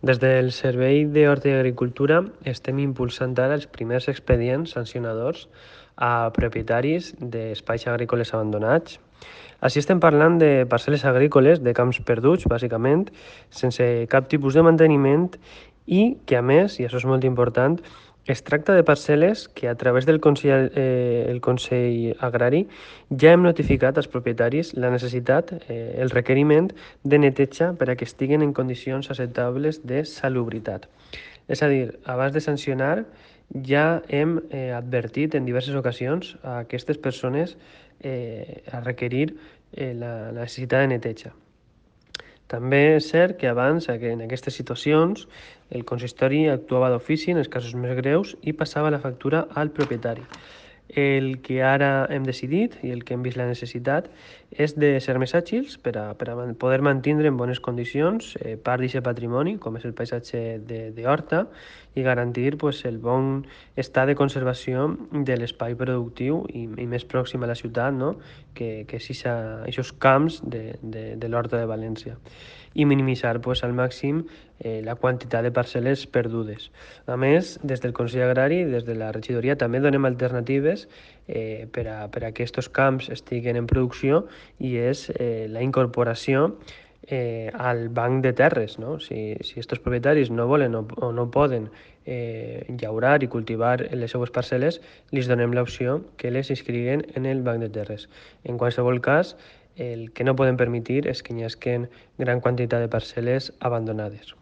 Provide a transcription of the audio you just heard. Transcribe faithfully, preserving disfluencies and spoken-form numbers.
Des del Servei d'Horta i Agricultura estem impulsant ara els primers expedients sancionadors a propietaris d'espais agrícoles abandonats. Així estem parlant de parcel·les agrícoles, de camps perduts, bàsicament, sense cap tipus de manteniment i que, a més, i això és molt important, es tracta de parcel·les que a través del Consell, eh, el Consell Agrari ja hem notificat als propietaris la necessitat, eh, el requeriment de neteja per a que estiguen en condicions acceptables de salubritat. És a dir, abans de sancionar ja hem eh, advertit en diverses ocasions a aquestes persones eh, a requerir eh, la, la necessitat de neteja. També és cert que abans, en aquestes situacions, el consistori actuava d'ofici en els casos més greus i passava la factura al propietari. El que ara hem decidit i el que hem vist la necessitat és de ser més àgils per a, per a poder mantenir en bones condicions eh, part d'aquest patrimoni, com és el paisatge de, de horta, i garantir pues, el bon estat de conservació de l'espai productiu i, i més pròxim a la ciutat, no? que, que és aquests camps de, de, de l'Horta de València, i minimitzar pues, al màxim eh, la quantitat de parcel·les perdudes. A més, des del Consell Agrari i des de la regidoria també donem alternatives eh, per, a, per a que aquests camps estiguen en producció, i és eh, la incorporació eh, al banc de terres. No? Si, si estos propietaris no volen o, o no poden eh, llaurar i cultivar les seues parcel·les, li donem l'opció que les inscriguen en el banc de terres. En qualsevol cas, el que no podem permetre és que hi hagi gran quantitat de parcel·les abandonades.